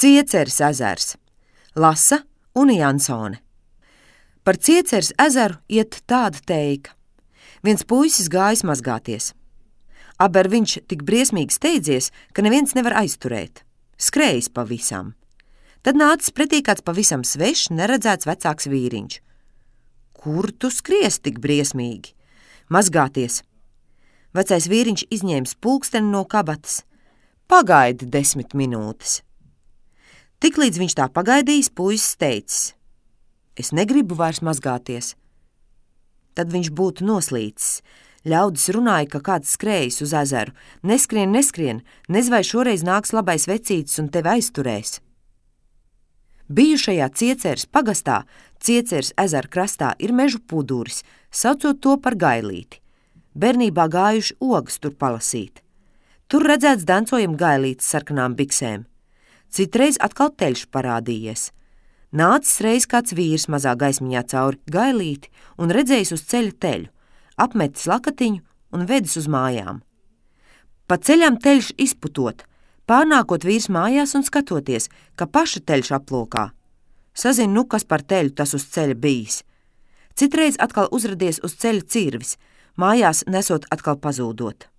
Cieceres ezers. Lasa Una Jansone. Par Cieceres ezeru iet tāda teika. Viens puisis gājis mazgāties. Aber viņš tik briesmīgi steidzies, ka neviens nevar aizturēt. Skrējis pa visam. Tad nācis pretī kāds pavisam svešs, neredzēts vecāks vīriņš. Kur tu skries tik briesmīgi? Mazgāties. Vecais vīriņš izņēmis pulksteni no kabatas. Pagaidi 10 minūtes. Tiklīdz viņš tā pagaidījis, puisis teicis: Es negribu vairs mazgāties. Tad viņš būtu noslīcis. Ļaudis runāja, ka kāds skrējis uz ezeru. Neskrien, nez vai šoreiz nāks labais vecītis un tevi aizturēs. Bijušajā Cieceres pagastā, Cieceres ezera krastā ir mežu puduris, saucot to par gailīti. Bērnībā gājuši ogas tur palasīt. Tur redzēts dancojam gailītes sarkanām biksēm. Citreiz atkal teļš parādījies. Nācis reiz kāds vīrs mazā gaismiņā cauri gailīti un redzējis uz ceļa teļu, apmetis lakatiņu un vedis uz mājām. Pa ceļam teļš izputot, pārnākot vīrs mājās un skatoties, ka paša teļš aplokā. Sazin, kas par teļu tas uz ceļa bijis. Citreiz atkal uzradies uz ceļa cirvis, mājās nesot atkal pazūdot.